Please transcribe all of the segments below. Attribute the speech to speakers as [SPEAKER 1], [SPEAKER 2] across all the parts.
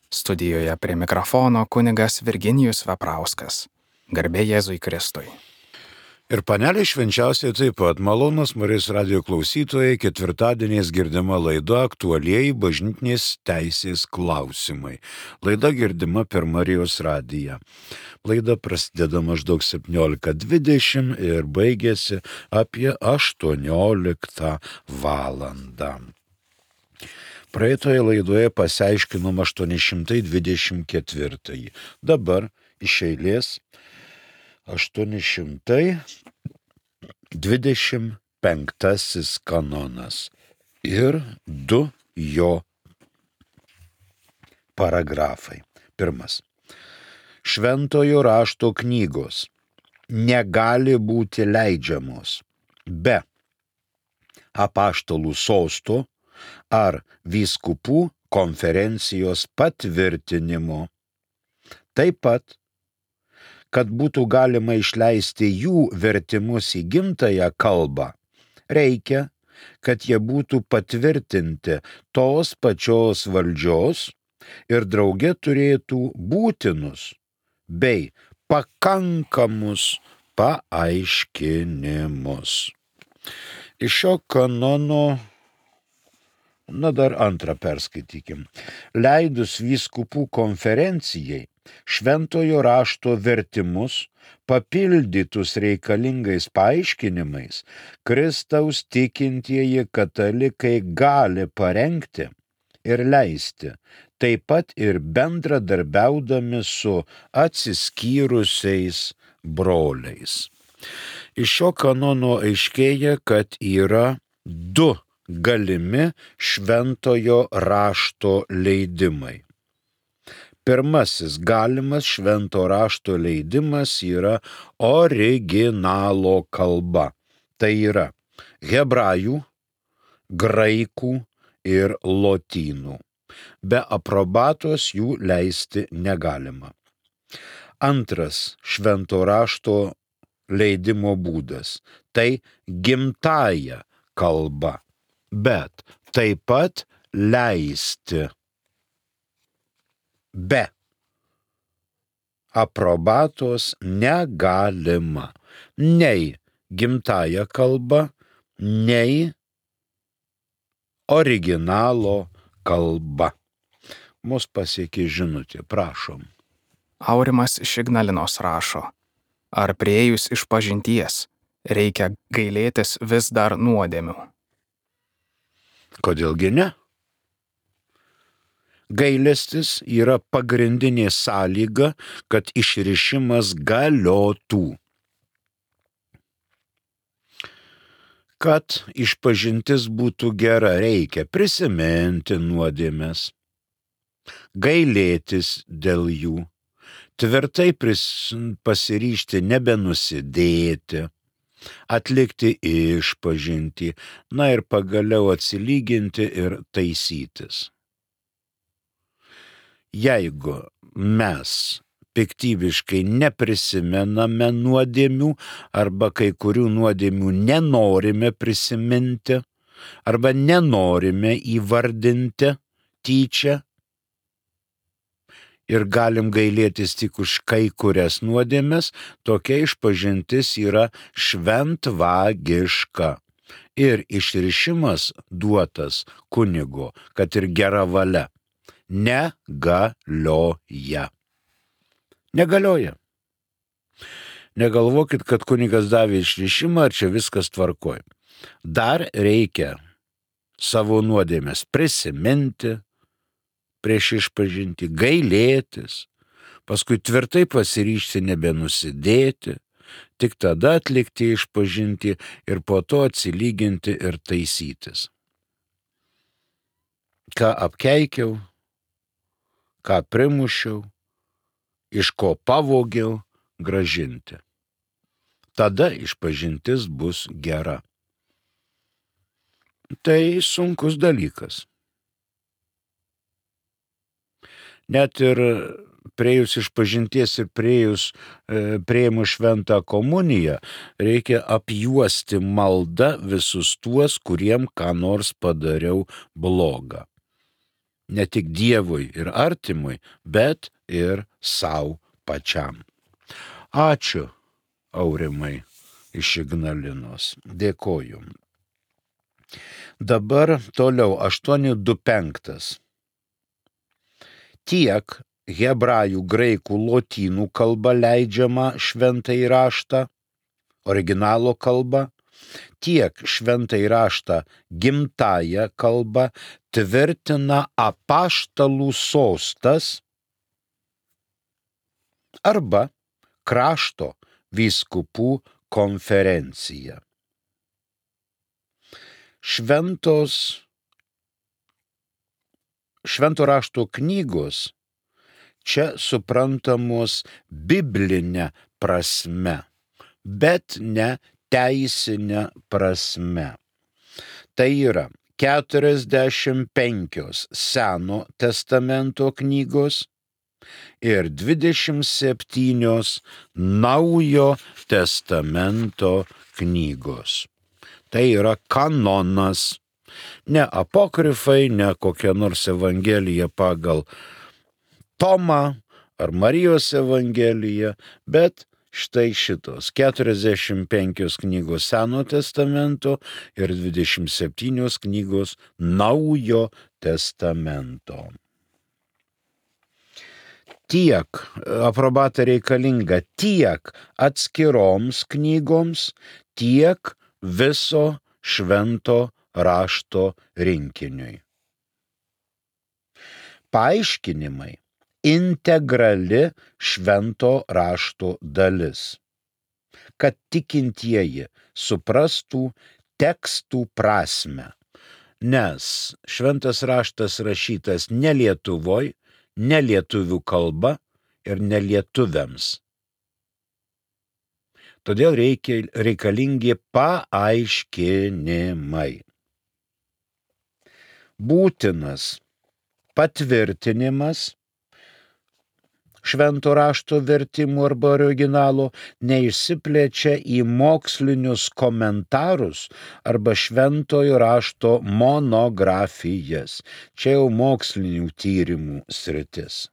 [SPEAKER 1] Studijoje prie mikrofono kunigas Virginijus Veprauskas. Garbė Jėzui Kristui.
[SPEAKER 2] Ir panelė švenčiausiai taip pat malonus Marijos radijo klausytojai, ketvirtadieniais girdima laida Aktualieji bažnytinės teisės klausimai. Laida girdima per Marijos radiją. Laida prasideda maždaug 17:20 ir baigėsi apie 18 valandą. Praeitoje laidoje pasiaiškinom 824. Dabar iš eilės 825 kanonas ir 2 jo paragrafai. Pirmas. Šventojo rašto knygos negali būti leidžiamos be apaštalų sosto ar vyskupų konferencijos patvirtinimo. Taip pat, kad būtų galima išleisti jų vertimus į gimtąją kalbą, reikia, kad jie būtų patvirtinti tos pačios valdžios ir drauge turėtų būtinus bei pakankamus paaiškinimus. Iš šio kanono, dar antrą perskaitykim. Leidus vyskupų konferencijai šventojo rašto vertimus papildytus reikalingais paaiškinimais, Kristaus tikintieji katalikai gali parengti ir leisti, taip pat ir bendradarbiaudami su atsiskyrusiais broliais. Iš šio kanono aiškėja, kad yra 2 galimi šventojo rašto leidimai. Pirmasis galimas švento rašto leidimas yra originalo kalba. Tai yra hebrajų, graikų ir lotynų. Be aprobatos jų leisti negalima. Antras švento rašto leidimo būdas – tai gimtąja kalba, bet taip pat leisti be aprobatos negalima nei gimtąja kalba, nei originalo kalba. Mus pasiekė žinutė, prašom.
[SPEAKER 1] Aurimas iš Ignalinos rašo, ar priėjus išpažinties reikia gailėtis vis dar nuodėmių?
[SPEAKER 2] Kodėlgi ne? Gailestis yra pagrindinė sąlyga, kad išrišimas galiotų. Kad išpažintis būtų gera, reikia prisiminti nuodėmes, gailėtis dėl jų, tvirtai pasiryžti nebenusidėti, atlikti išpažintį, ir pagaliau atsilyginti ir taisytis. Jeigu mes piktybiškai neprisimename nuodėmių arba kai kurių nuodėmių nenorime prisiminti arba nenorime įvardinti tyčia ir galim gailėtis tik už kai kurias nuodėmes, tokia išpažintis yra šventvagiška ir išrišimas duotas kunigo, kad ir gera valia, negalioja. Negalioja. Negalvokit, kad kunigas davė išrišimą, ar čia viskas tvarkoj. Dar reikia savo nuodėmes prisiminti prieš išpažinti, gailėtis, paskui tvirtai pasiryžti nebenusidėti, tik tada atlikti išpažinti ir po to atsilyginti ir taisytis. Ką apkeikiau, ką primušiau, iš ko pavogiau, grąžinti. Tada išpažintis bus gera. Tai sunkus dalykas. Net ir priėjus išpažinties ir priėmus šventą komuniją, reikia apjuosti maldą visus tuos, kuriem ką nors padariau blogą. ne tik Dievui ir artimui, bet ir savo pačiam. Ačiū, Aurimai iš Ignalinos. Dėkoju. Dabar toliau 825. Tiek hebrajų, graikų, lotynų kalba leidžiama šventąjį raštą, originalo kalba, tiek šventąjį raštą gimtąją kalbą tvirtina apaštalų sostas arba krašto vyskupų konferencija. Švento rašto knygos čia suprantamos biblinė prasme, bet ne teisinė prasme. Tai yra 45 Seno testamento knygos ir 27 Naujo testamento knygos. Tai yra kanonas, ne apokrifai, ne kokia nors evangelija pagal Tomą ar Marijos evangeliją, bet štai šitos 45 knygos Seno testamento ir 27 knygos Naujo testamento. Tiek aprobata reikalinga tiek atskiroms knygoms, tiek viso švento rašto rinkiniui. Paaiškinimai integrali švento rašto dalis, kad tikintieji suprastų tekstų prasmę, nes šventas raštas rašytas ne Lietuvoj, ne lietuvių kalba ir ne lietuviams. Todėl reikalingi paaiškinimai. Būtinas patvirtinimas švento rašto vertimų arba originalo neišsiplečia į mokslinius komentarus arba šventojo rašto monografijas. Čia jau mokslinių tyrimų sritis.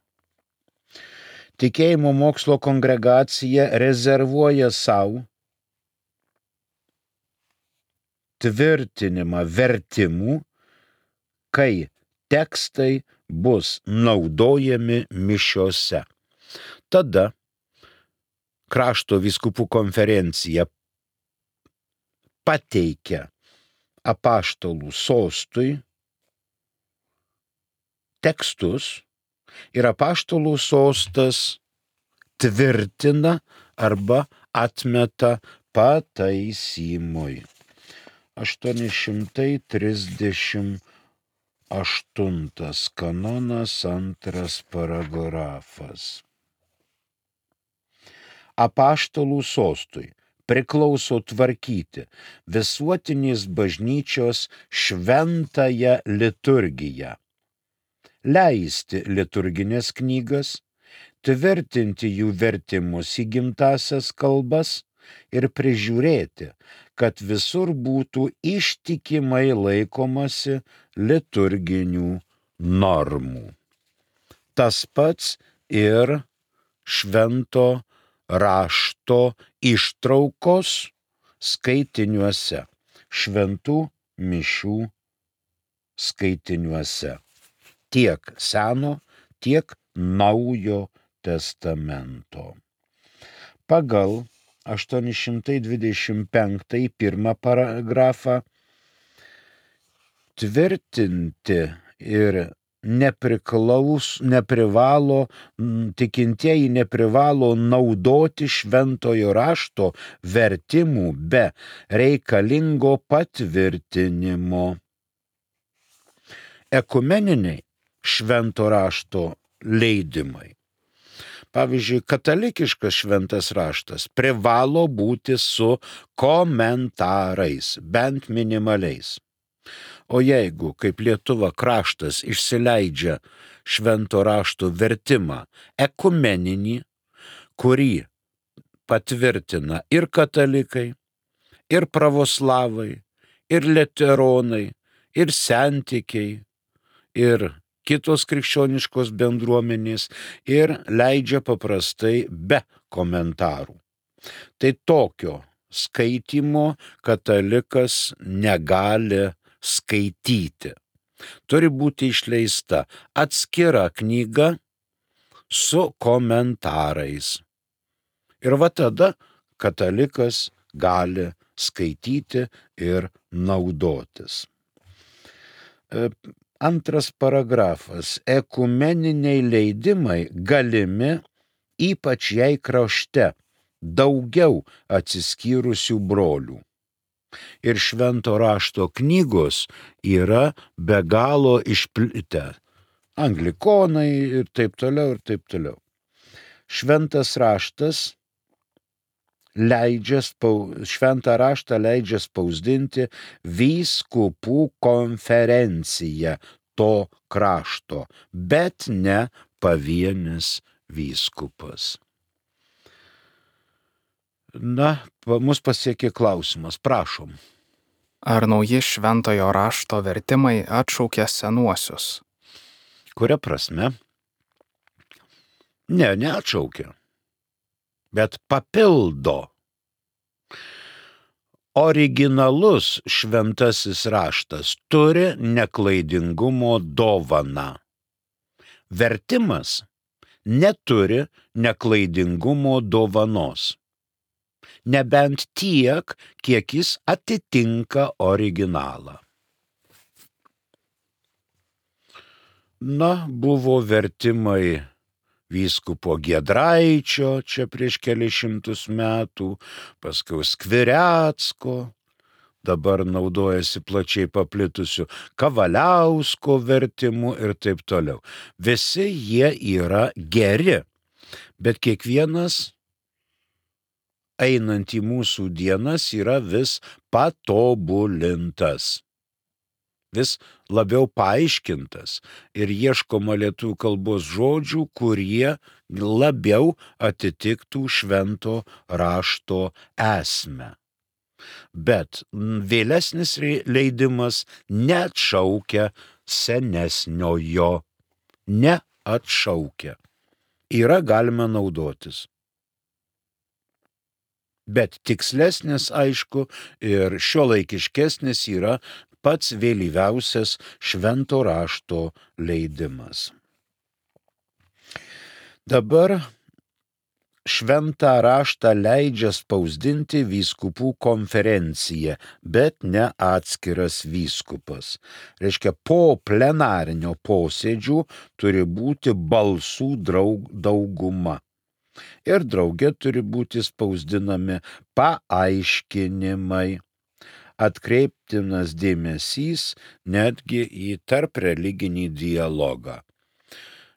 [SPEAKER 2] Tikėjimo mokslo kongregacija rezervuoja savo tvirtinimą vertimų, kai tekstai bus naudojami mišiose. Tada krašto vyskupų konferencija pateikia apaštalų sostui tekstus ir apaštalų sostas tvirtina arba atmeta pataisimui. 838 kanonas 2 paragrafas. Apaštalų sostui priklauso tvarkyti visuotinės bažnyčios šventąją liturgiją, leisti liturginės knygas, tvirtinti jų vertimus į gimtąsias kalbas ir prižiūrėti, kad visur būtų ištikimai laikomasi liturginių normų. Tas pats ir švento rašto ištraukos skaitiniuose, šventų mišių skaitiniuose. Tiek Seno, tiek Naujo testamento. Pagal 825 pirmą paragrafą tvirtinti ir tikintieji neprivalo naudoti šventojo rašto vertimų be reikalingo patvirtinimo. Ekumeniniai švento rašto leidimai. Pavyzdžiui, katalikiškas šventas raštas privalo būti su komentarais, bent minimaliais. O jeigu, kaip Lietuva kraštas, išsileidžia švento rašto vertimą ekumeninį, kurį patvirtina ir katalikai, ir pravoslavai, ir liuteronai, ir sentikiai, ir kitos krikščioniškos bendruomenės ir leidžia paprastai be komentarų. Tai tokio skaitimo katalikas negali skaityti. Turi būti išleista atskira knyga su komentarais. Ir va tada katalikas gali skaityti ir naudotis. Antras paragrafas. Ekumeniniai leidimai galimi ypač jei krašte daugiau atsiskyrusių brolių. Ir švento rašto knygos yra be galo išplitę. Anglikonai ir taip toliau, ir taip toliau. Šventas raštas šventą raštą leidžia spausdinti vyskupų konferencija to krašto, bet ne pavienis vyskupas. Mus pasiekė klausimas, prašom.
[SPEAKER 1] Ar nauji šventojo rašto vertimai atšaukia senuosius?
[SPEAKER 2] Kuria prasme? Ne, neatšaukia, bet papildo. Originalus šventasis raštas turi neklaidingumo dovaną. Vertimas neturi neklaidingumo dovanos. Nebent tiek, kiek jis atitinka originalą. Buvo vertimai vyskupo Giedraičio čia prieš kelius šimtus metų, paskui Skvirecko, dabar naudojasi plačiai paplitusiu Kavaliausko vertimu ir taip toliau. Visi jie yra geri, bet kiekvienas einant į mūsų dienas yra vis patobulintas, vis labiau paaiškintas ir ieškoma lietuvių kalbos žodžių, kurie labiau atitiktų švento rašto esmę. Bet vėlesnis leidimas neatšaukia senesniojo, neatšaukia. Yra galima naudotis. Bet tikslesnis, aišku, ir šiuolaikiškesnis yra pats vėlyviausias švento rašto leidimas. Dabar šventą raštą leidžia spausdinti vyskupų konferencija, bet ne atskiras vyskupas. Reiškia, po plenarinio posėdžių turi būti balsų dauguma. Ir drauge turi būti spausdinami paaiškinimai. Atkreiptinas dėmesys netgi į tarpreliginį dialogą.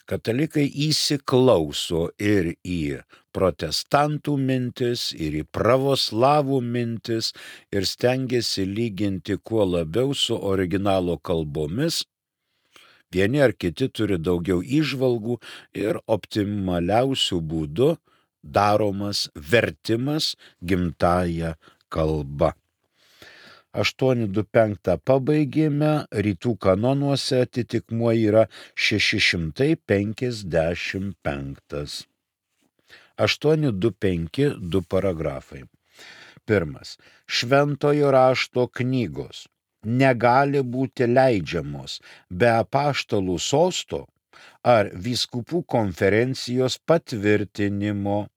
[SPEAKER 2] Katalikai įsiklauso ir į protestantų mintis, ir į pravoslavų mintis ir stengiasi lyginti kuo labiau su originalo kalbomis. Vieni ar kiti turi daugiau įžvalgų ir optimaliausių būdų daromas vertimas gimtąja kalba. 825 pabaigėme, rytų kanonuose atitikmuo yra 655. 825 du paragrafai. Pirmas. Šventojo rašto knygos negali būti leidžiamos be apaštalų sosto ar vyskupų konferencijos patvirtinimo.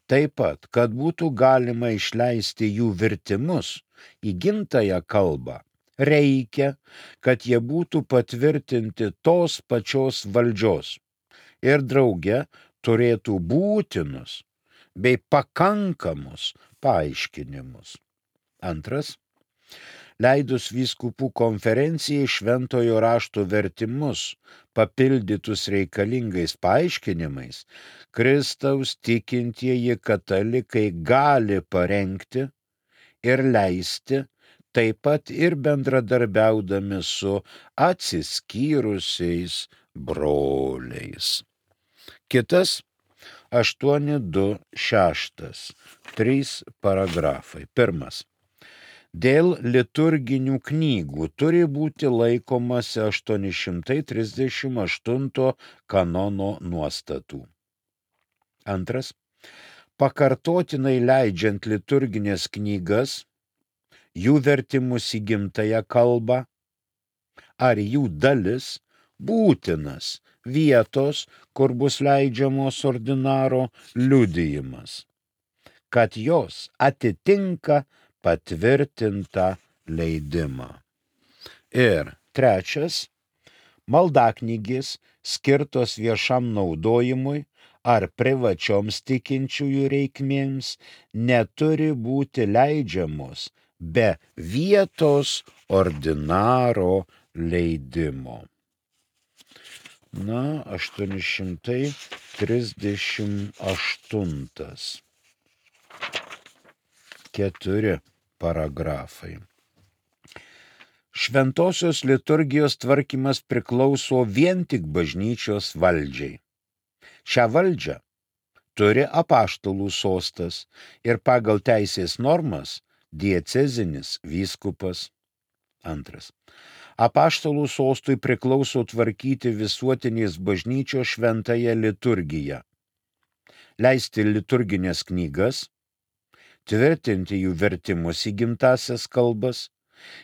[SPEAKER 2] Taip pat, kad būtų galima išleisti jų vertimus į gimtąją kalbą, reikia, kad jie būtų patvirtinti tos pačios valdžios ir drauge turėtų būtinus bei pakankamus paaiškinimus. Antras. Leidus vyskupų konferencijai šventojo rašto vertimus papildytus reikalingais paaiškinimais, Kristaus tikintieji katalikai gali parengti ir leisti, taip pat ir bendradarbiaudami su atsiskyrusiais broliais. Kitas 826. 3 paragrafai. Pirmas. Dėl liturginių knygų turi būti laikomasi 838 kanono nuostatų. Antras. Pakartotinai leidžiant liturginės knygas, jų vertimus į gimtąją kalbą ar jų dalis būtinas vietos, kur bus leidžiamos ordinaro liudijimas, kad jos atitinka patvirtintą leidimą. Ir trečias, maldaknygės skirtos viešam naudojimui ar privačioms tikinčiųjų reikmėms neturi būti leidžiamos be vietos ordinaro leidimo. 838. 4 paragrafai. Šventosios liturgijos tvarkymas priklauso vien tik bažnyčios valdžiai. Šią valdžią turi apaštalų sostas ir pagal teisės normas diecezinis vyskupas. Antras. Apaštalų sostui priklauso tvarkyti visuotinės bažnyčios šventąją liturgiją, leisti liturginės knygas, tvirtinti jų vertimus į gimtąsias kalbas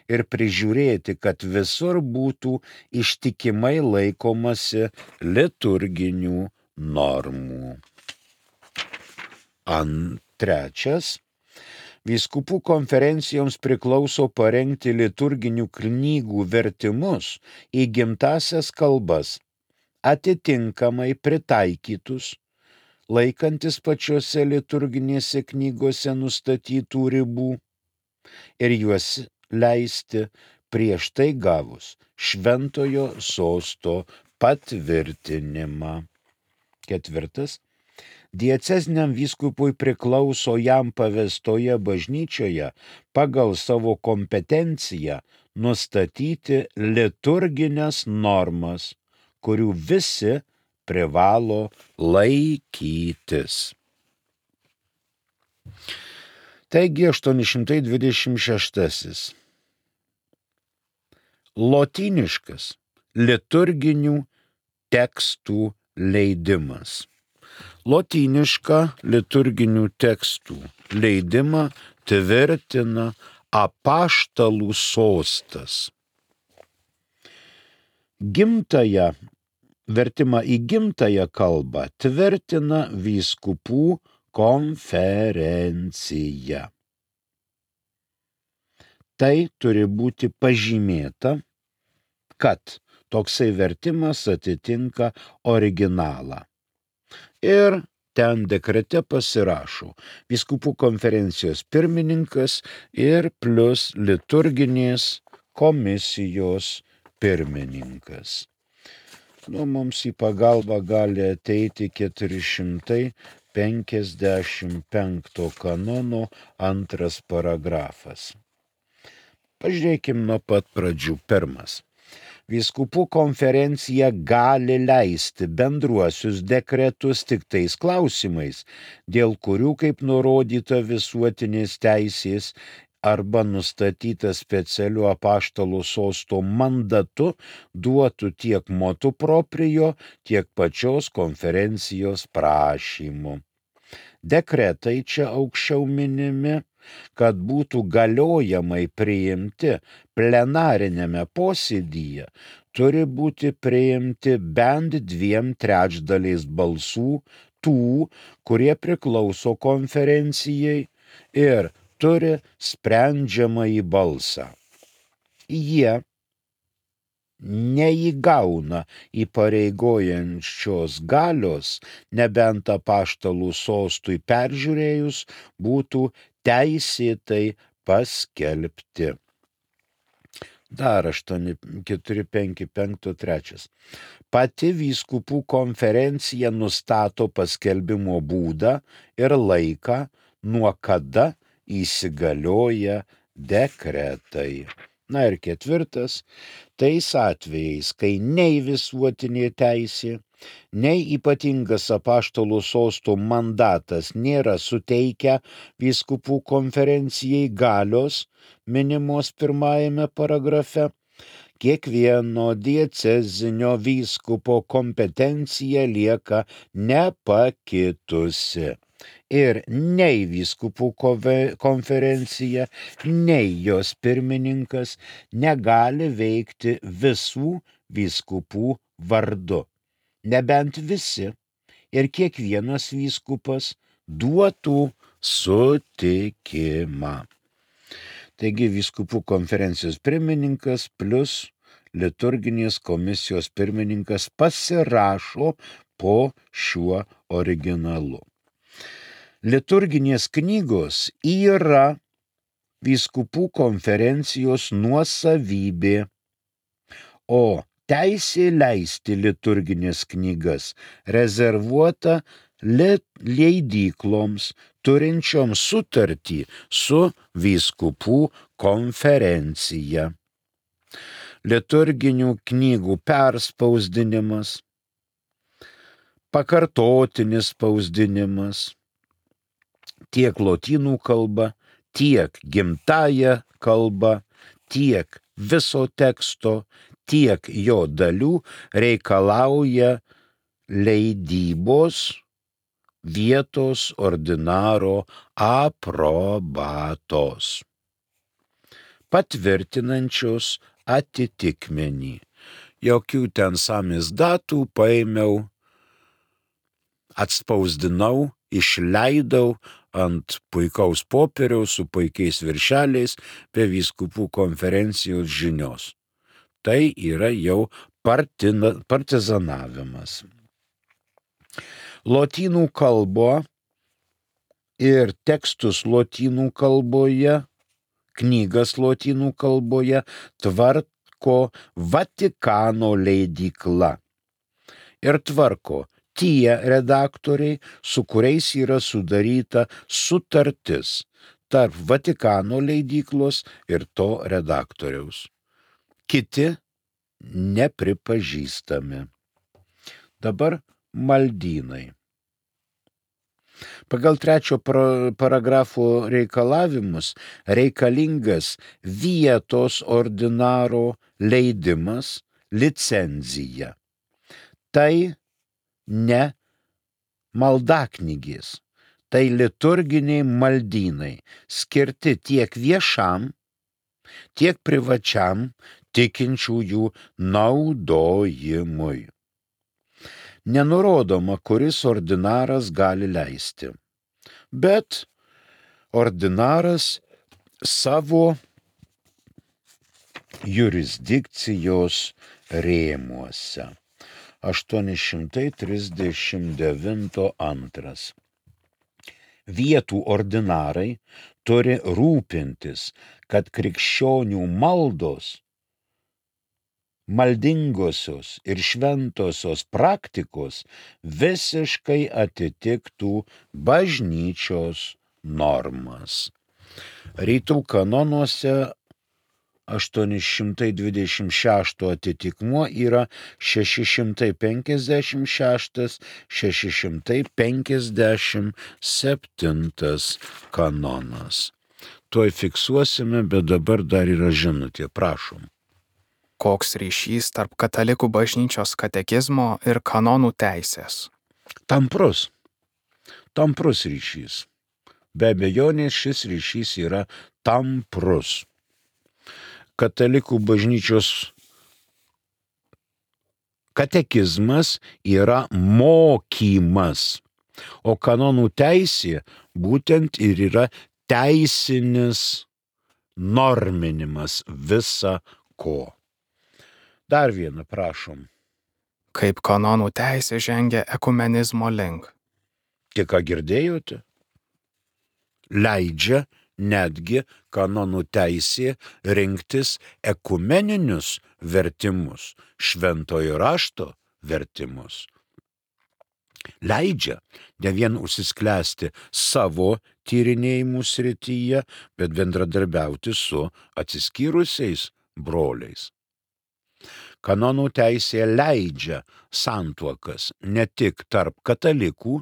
[SPEAKER 2] ir prižiūrėti, kad visur būtų ištikimai laikomasi liturginių normų. Trečias. Vyskupų konferencijoms priklauso parengti liturginių knygų vertimus į gimtąsias kalbas, atitinkamai pritaikytus, laikantis pačiose liturginėse knygose nustatytų ribų ir juos leisti prieš tai gavus šventojo sosto patvirtinimą. Ketvirtas. Dieceziniam vyskupui priklauso jam pavestoje bažnyčioje pagal savo kompetenciją nustatyti liturginės normas, kurių visi privalo laikytis. Taigi 826. Lotyniškas liturginių tekstų leidimas. Lotynišką liturginių tekstų leidimą tvirtina apaštalų sostas. Vertimą į gimtąją kalbą tvirtina vyskupų konferencija. Tai turi būti pažymėta, kad toksai vertimas atitinka originalą. Ir ten dekrete pasirašo vyskupų konferencijos pirmininkas ir plus liturginės komisijos pirmininkas. Mums į pagalbą gali ateiti 455 kanono 2 paragrafas. Pažiūrėkime nuo pat pradžių. Pirmas. Vyskupų konferencija gali leisti bendruosius dekretus tik tais klausimais, dėl kurių, kaip nurodyta visuotinės teisės arba nustatyta specialiu apaštalų sosto mandatu, duotų tiek motu proprio, tiek pačios konferencijos prašymu. Dekretai čia aukščiau minimi, kad būtų galiojamai priimti plenarinėme posėdyje, turi būti priimti bent 2/3 balsų tų, kurie priklauso konferencijai ir turi sprendžiamąjį balsą. Jie neįgauna įpareigojančios galios, nebent apaštalų sostui peržiūrėjus būtų teisėtai paskelbti. Dar 455. Pati vyskupų konferencija nustato paskelbimo būdą ir laiką, nuo kada įsigalioja dekretai. Ir 4. Tais atvejais, kai nei visuotinė teisė, nei ypatingas apaštalų sosto mandatas nėra suteikę vyskupų konferencijai galios minimos pirmajame paragrafe, kiekvieno diecezinio vyskupo kompetencija lieka nepakitusi. Ir nei vyskupų konferencija, nei jos pirmininkas negali veikti visų vyskupų vardu, nebent visi ir kiekvienas vyskupas duotų sutikimą. Taigi vyskupų konferencijos pirmininkas plus liturginės komisijos pirmininkas pasirašo po šiuo originalu. Liturginės knygos yra vyskupų konferencijos nuosavybė, o teisė leisti liturginės knygas rezervuota leidykloms turinčioms sutartį su vyskupų konferencija. Liturginių knygų perspausdinimas, pakartotinis spausdinimas tiek lotynų kalba, tiek gimtąja kalba, tiek viso teksto, tiek jo dalių reikalauja leidybos vietos ordinaro aprobatos, patvirtinančios atitikmenį. Jokių ten samės datų paėmiau, atspausdinau, išleidau ant puikaus popieriaus su puikiais viršeliais be vyskupų konferencijos žinios. Tai yra jau partizanavimas. Lotynų kalbo ir tekstus lotynų kalboje, knygas lotynų kalboje tvarko Vatikano leidykla ir tvarko tie redaktoriai, su kuriais yra sudaryta sutartis tarp Vatikano leidyklos ir to redaktoriaus. Kiti nepripažįstami. Dabar maldynai. Pagal 3 paragrafo reikalavimus reikalingas vietos ordinaro leidimas, licenzija. Tai ne maldaknygės, tai liturginiai maldynai, skirti tiek viešam, tiek privačiam tikinčiųjų naudojimui. Nenurodoma, kuris ordinaras gali leisti, bet ordinaras savo jurisdikcijos rėmuose. 839 Vietų ordinarai turi rūpintis, kad krikščionių maldos, maldingosios ir šventosios praktikos visiškai atitiktų bažnyčios normas. Rytų kanonuose 826 atitikmuo yra 656-657 kanonas. Tuoj fiksuosime, bet dabar dar yra žinutė, prašom.
[SPEAKER 1] Koks ryšys tarp katalikų bažnyčios katekizmo ir kanonų teisės?
[SPEAKER 2] Tamprus ryšys. Be abejonės šis ryšys yra tamprus. Katalikų bažnyčios katekizmas yra mokymas, o kanonų teisė būtent ir yra teisinis norminimas visa ko. Dar vieną, prašom.
[SPEAKER 1] Kaip kanonų teisė žengia ekumenizmo link?
[SPEAKER 2] Tik ką girdėjote? Leidžia netgi kanonų teisė rinktis ekumeninius vertimus, šventojo rašto vertimus. Leidžia ne vien užsisklęsti savo tyrinėjimų srityje, bet bendradarbiauti su atsiskyrusiais broliais. Kanonų teisė leidžia santuokas ne tik tarp katalikų,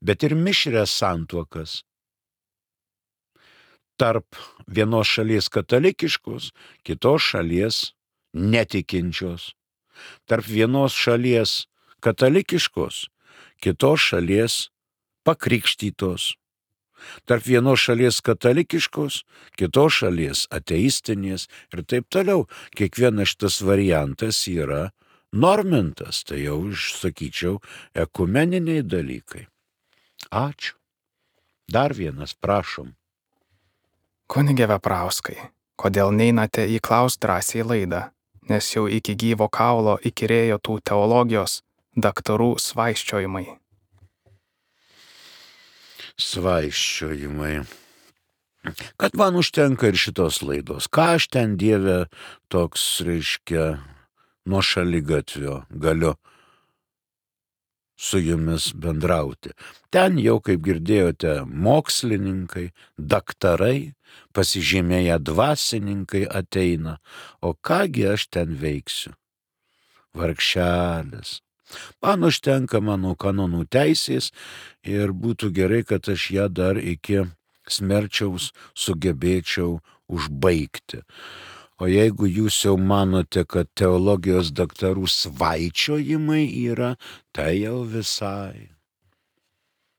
[SPEAKER 2] bet ir mišrias santuokas. Tarp vienos šalies katalikiškos, kitos šalies netikinčios. Tarp vienos šalies katalikiškos, kitos šalies pakrikštytos. Tarp vienos šalies katalikiškos, kitos šalies ateistinės ir taip toliau. Kiekvienas šitas variantas yra normintas, tai jau, sakyčiau, ekumeniniai dalykai. Ačiū. Dar vienas, prašom.
[SPEAKER 1] Kunige Veprauskai, kodėl neinate į Klaus drąsiai laidą, nes jau iki gyvo kaulo įkyrėjo tų teologijos daktarų svaiščiojimai.
[SPEAKER 2] Svaiščiojimai. Kad man užtenka ir šitos laidos. Ką aš ten, Dieve, toks, reiškia, nuo šaligatvio galiu su jumis bendrauti. Ten jau, kaip girdėjote, mokslininkai, daktarai, pasižymėję dvasininkai ateina. O kągi aš ten veiksiu? Vargšelis. Man užtenka mano kanonų teisės ir būtų gerai, kad aš ją dar iki smerčiaus sugebėčiau užbaigti. O jeigu jūs jau manote, kad teologijos daktarų svaičiojimai yra, tai jau visai.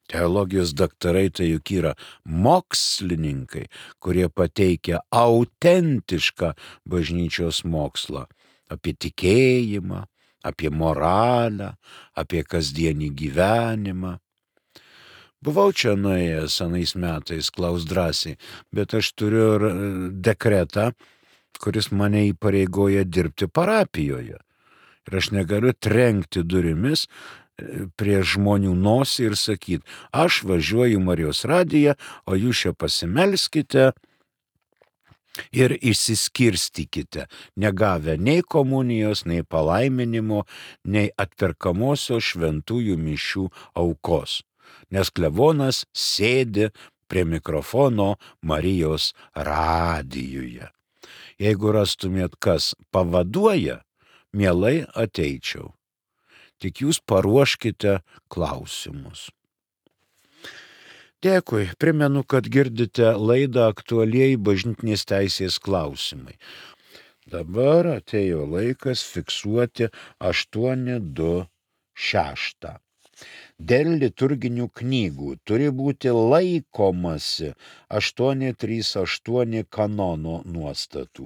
[SPEAKER 2] Teologijos daktarai tai juk yra mokslininkai, kurie pateikia autentišką bažnyčios mokslą apie tikėjimą, apie moralę, apie kasdienį gyvenimą. Buvau čia nuėjęs anais metais, Klaus drąsiai, bet aš turiu dekretą, kuris mane įpareigoja dirbti parapijoje. Ir aš negaliu trenkti durimis prie žmonių nosį ir sakyti, aš važiuoju Marijos radiją, o jūs čia pasimelskite ir išsiskirstykite, negavę nei komunijos, nei palaiminimo, nei atperkamosios šventųjų mišių aukos. Nes klebonas sėdi prie mikrofono Marijos radijuje. Jeigu rastumėt, kas pavaduoja, mielai ateičiau. Tik jūs paruoškite klausimus. Dėkui, primenu, kad girdite laidą Aktualieji bažnytinės teisės klausimai. Dabar atėjo laikas fiksuoti 826. Dėl liturginių knygų turi būti laikomasi 838 kanono nuostatų.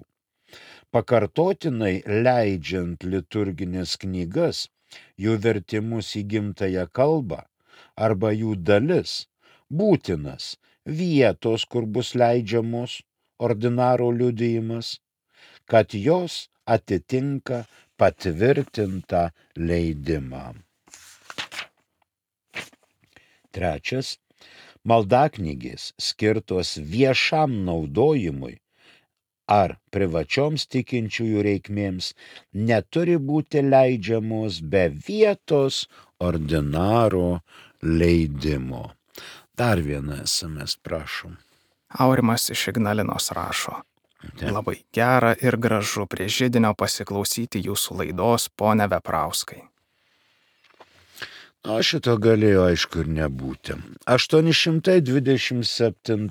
[SPEAKER 2] Pakartotinai leidžiant liturginės knygas, jų vertimus į gimtąją kalbą arba jų dalis, būtinas vietos, kur bus leidžiamos ordinaro liudijimas, kad jos atitinka patvirtintą leidimą. Trečias, maldaknygės skirtos viešam naudojimui ar privačioms tikinčiųjų reikmėms neturi būti leidžiamos be vietos ordinaro leidimo. Dar vieną SMS, prašom.
[SPEAKER 1] Aurimas iš Ignalinos rašo. Labai gera ir gražu prie židinio pasiklausyti jūsų laidos, pone Veprauskai.
[SPEAKER 2] O šito galėjo aišku ir nebūti. 827.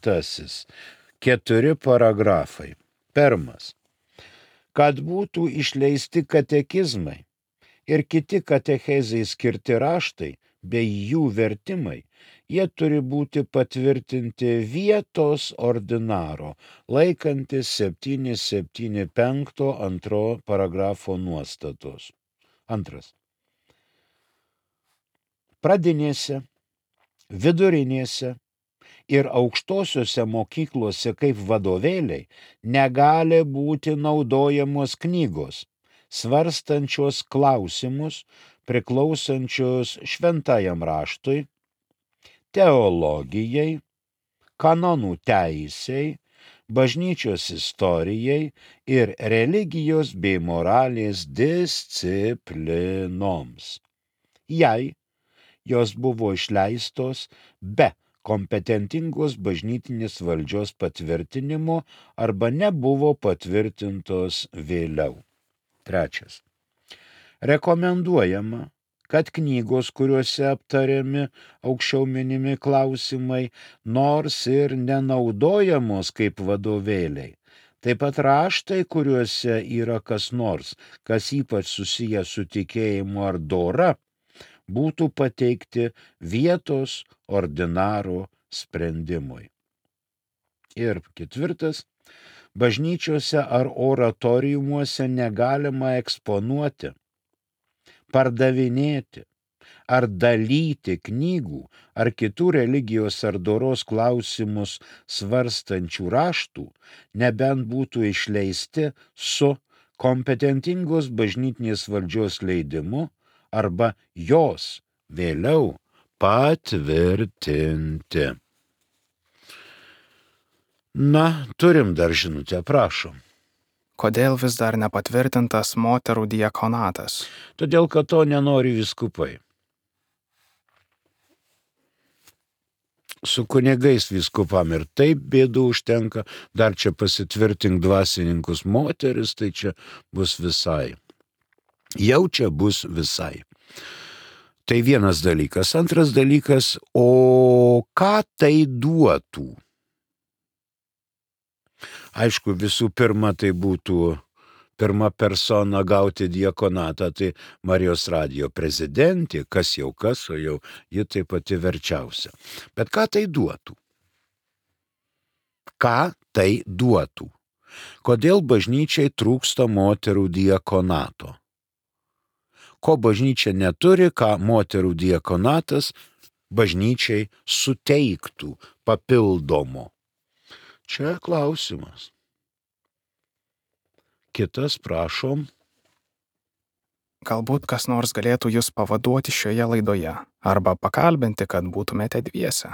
[SPEAKER 2] 4 paragrafai. Pirmas. Kad būtų išleisti katekizmai ir kiti katechezai skirti raštai bei jų vertimai, jie turi būti patvirtinti vietos ordinaro, laikantis 775 2 paragrafo nuostatos. Antras. Pradinėse, vidurinėse ir aukštosiuose mokyklose kaip vadovėliai negali būti naudojamos knygos, svarstančios klausimus priklausančios šventajam raštui, teologijai, kanonų teisei, bažnyčios istorijai ir religijos bei moralės disciplinoms. Jei jos buvo išleistos be kompetentingos bažnytinės valdžios patvirtinimo arba nebuvo patvirtintos vėliau. Trečias. Rekomenduojama, kad knygos, kuriuose aptariami aukščiau minimi klausimai, nors ir nenaudojamos kaip vadovėliai, taip pat raštai, kuriuose yra kas nors, kas ypač susijęs su tikėjimu ar dora, būtų pateikti vietos ordinaro sprendimui. Ir ketvirtas, bažnyčiose ar oratoriumuose negalima eksponuoti, pardavinėti ar dalyti knygų ar kitų religijos ar doros klausimus svarstančių raštų, nebent būtų išleisti su kompetentingos bažnytinės valdžios leidimu arba jos vėliau patvirtinti. Na, turim dar žinutę, prašom.
[SPEAKER 1] Kodėl vis dar nepatvirtintas moterų diakonatas?
[SPEAKER 2] Todėl, kad to nenori vyskupai. Su kunigais vyskupam ir taip bėdų užtenka, dar čia pasitvirtink dvasininkus moteris, tai čia bus visai. Jau čia bus visai. Tai vienas dalykas. Antras dalykas, o ką tai duotų? Aišku, visų pirma, tai būtų pirma persona gauti diakonatą, tai Marijos radijo prezidentė, kas, o jau ji taip pati verčiausia. Bet ką tai duotų? Ką tai duotų? Kodėl bažnyčiai trūksta moterų diakonato? Ko bažnyčia neturi, ką moterų diakonatas bažnyčiai suteiktų papildomo? Čia klausimas. Kitas, prašom.
[SPEAKER 1] Galbūt kas nors galėtų jūs pavaduoti šioje laidoje arba pakalbinti, kad būtumėte dviese.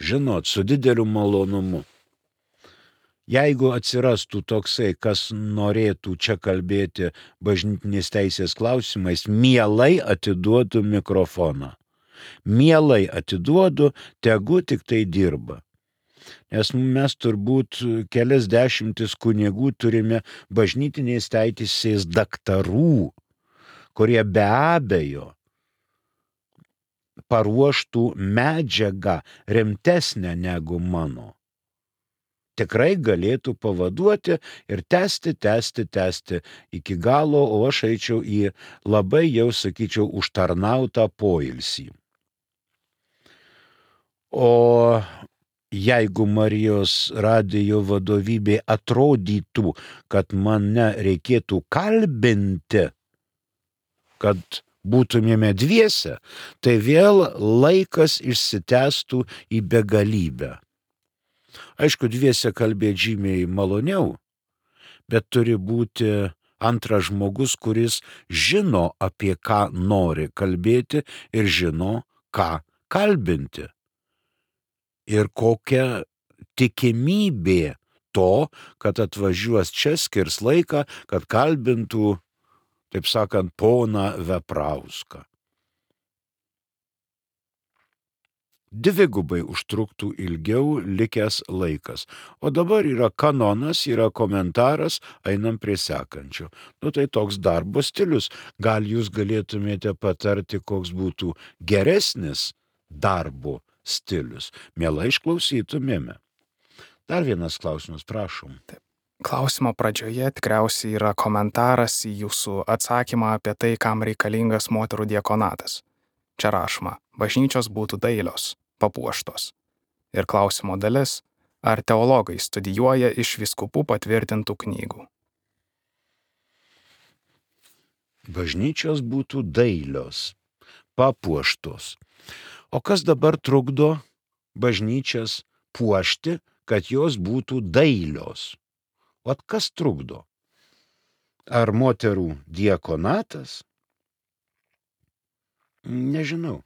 [SPEAKER 2] Žinot, su dideliu malonumu. Jeigu atsirastų toksai, kas norėtų čia kalbėti bažnytinės teisės klausimais, mielai atiduodu mikrofoną. Mielai atiduodu, tegu tik tai dirba. Nes mes turbūt kelias dešimtis kunigų turime bažnytinės teisės daktarų, kurie be abejo paruoštų medžiagą rimtesnę negu mano. Tikrai galėtų pavaduoti ir tęsti iki galo, o aš eičiau į labai jau, sakyčiau, užtarnautą poilsį. O jeigu Marijos radijo vadovybė atrodytų, kad mane reikėtų kalbinti, kad būtumėme dviese, tai vėl laikas išsitęstų į begalybę. Aišku, dviese kalbėti žymiai maloniau, bet turi būti antras žmogus, kuris žino, apie ką nori kalbėti ir žino, ką kalbinti. Ir kokia tikimybė to, kad atvažiuos čia, skirs laiką, kad kalbintų, taip sakant, poną Veprauską. Dvigubai užtruktų ilgiau likęs laikas. O dabar yra kanonas, yra komentaras, einam prie sekančio. Tai toks darbo stilius. Gal jūs galėtumėte patarti, koks būtų geresnis darbo stilius. Mielai išklausytumėme. Dar vienas klausimas, prašom.
[SPEAKER 1] Taip. Klausimo pradžioje tikriausiai yra komentaras į jūsų atsakymą apie tai, kam reikalingas moterų diakonatas. Čia rašoma, bažnyčios būtų dailios, papuoštos. Ir klausimo dalis, ar teologai studijuoja iš vyskupų patvirtintų knygų.
[SPEAKER 2] Bažnyčios būtų dailios, papuoštos. O kas dabar trukdo bažnyčias puošti, kad jos būtų dailios? O kas trukdo? Ar moterų diakonatas? Nežinau.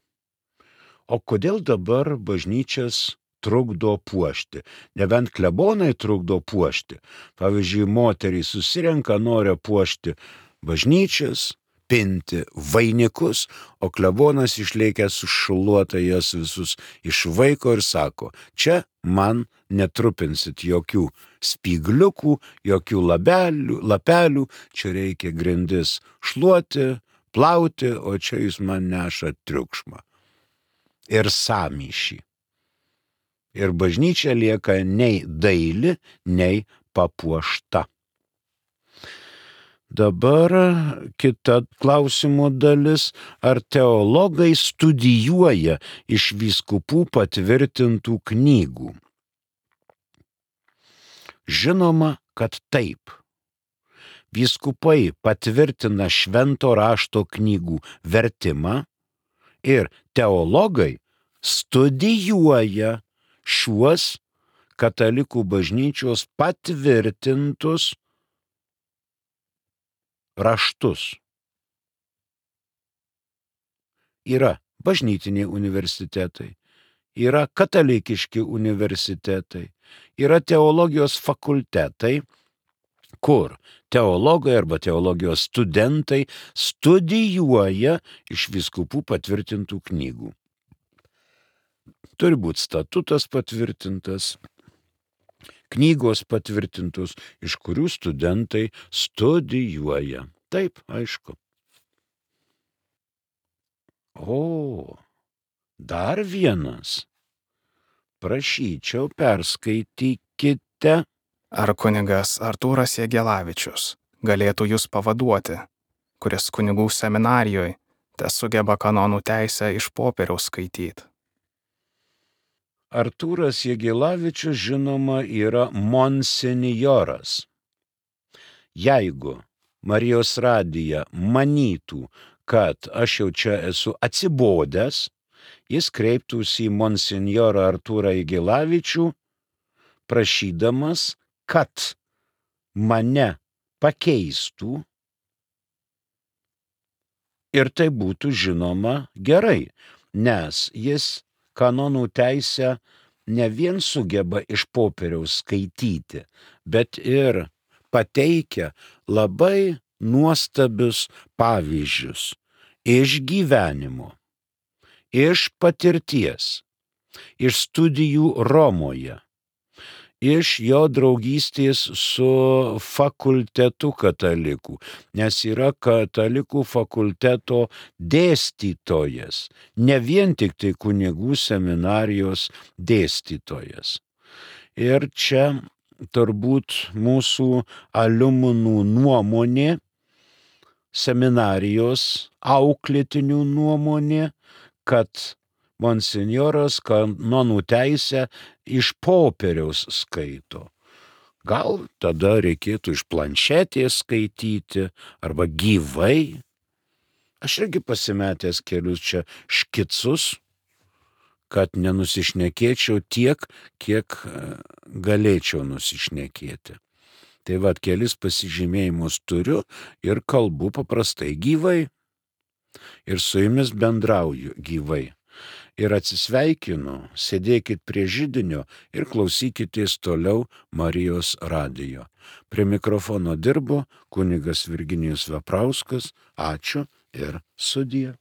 [SPEAKER 2] O kodėl dabar bažnyčias trukdo puošti? Nebent klebonai trukdo puošti. Pavyzdžiui, moterys susirenka, nori puošti bažnyčias, pinti vainikus, o klebonas išlėkęs sušluota jas visus išvaiko ir sako, čia man netrupinsit jokių spygliukų, jokių lapelių, čia reikia grindis šluoti, plauti, o čia jūs man neša triukšmą ir sąmyšį. Ir bažnyčia lieka nei daili, nei papuošta. Dabar kita klausimo dalis, ar teologai studijuoja iš vyskupų patvirtintų knygų? Žinoma, kad taip. Vyskupai patvirtina švento rašto knygų vertimą ir teologai studijuoja šiuos katalikų bažnyčios patvirtintus raštus. Yra bažnytiniai universitetai, yra katalikiški universitetai, yra teologijos fakultetai, kur teologai arba teologijos studentai studijuoja iš vyskupų patvirtintų knygų. Turi būti statutas patvirtintas, knygos patvirtintos, iš kurių studentai studijuoja. Taip, aišku. O, dar vienas. Prašyčiau, perskaitykite.
[SPEAKER 1] Ar kunigas Artūras Jagelavičius galėtų jūs pavaduoti, kuris kunigų seminarijoje tesugeba kanonų teisę iš popieriaus skaityti?
[SPEAKER 2] Artūras Jagelavičius, žinoma, yra monsinjoras. Jeigu Marijos radija manytų, kad aš jau čia esu atsibodęs, jis kreiptųsi į monsinjorą Artūrą Jagelavičių, prašydamas, kad mane pakeistų ir tai būtų žinoma gerai, nes jis kanonų teisę ne vien sugeba iš popieriaus skaityti, bet ir pateikia labai nuostabius pavyzdžius iš gyvenimo, iš patirties, iš studijų Romoje, iš jo draugystės su fakultetu katalikų, nes yra katalikų fakulteto dėstytojas, ne vien tik tai kunigų seminarijos dėstytojas. Ir čia turbūt mūsų aliuminų nuomonė, seminarijos auklėtinių nuomonė, kad monsinjoras kanonų teisę iš popieriaus skaito. Gal tada reikėtų iš planšetės skaityti arba gyvai. Aš irgi pasimetęs kelius čia škicus, kad nenusišnekėčiau tiek, kiek galėčiau nusišnekėti. Tai vat kelis pasižymėjimus turiu ir kalbu paprastai gyvai. Ir su jumis bendrauju gyvai. Ir atsisveikinu, sėdėkit prie židinio ir klausykitės toliau Marijos radijo. Prie mikrofono dirbo kunigas Virginijus Veprauskas. Ačiū ir sudie.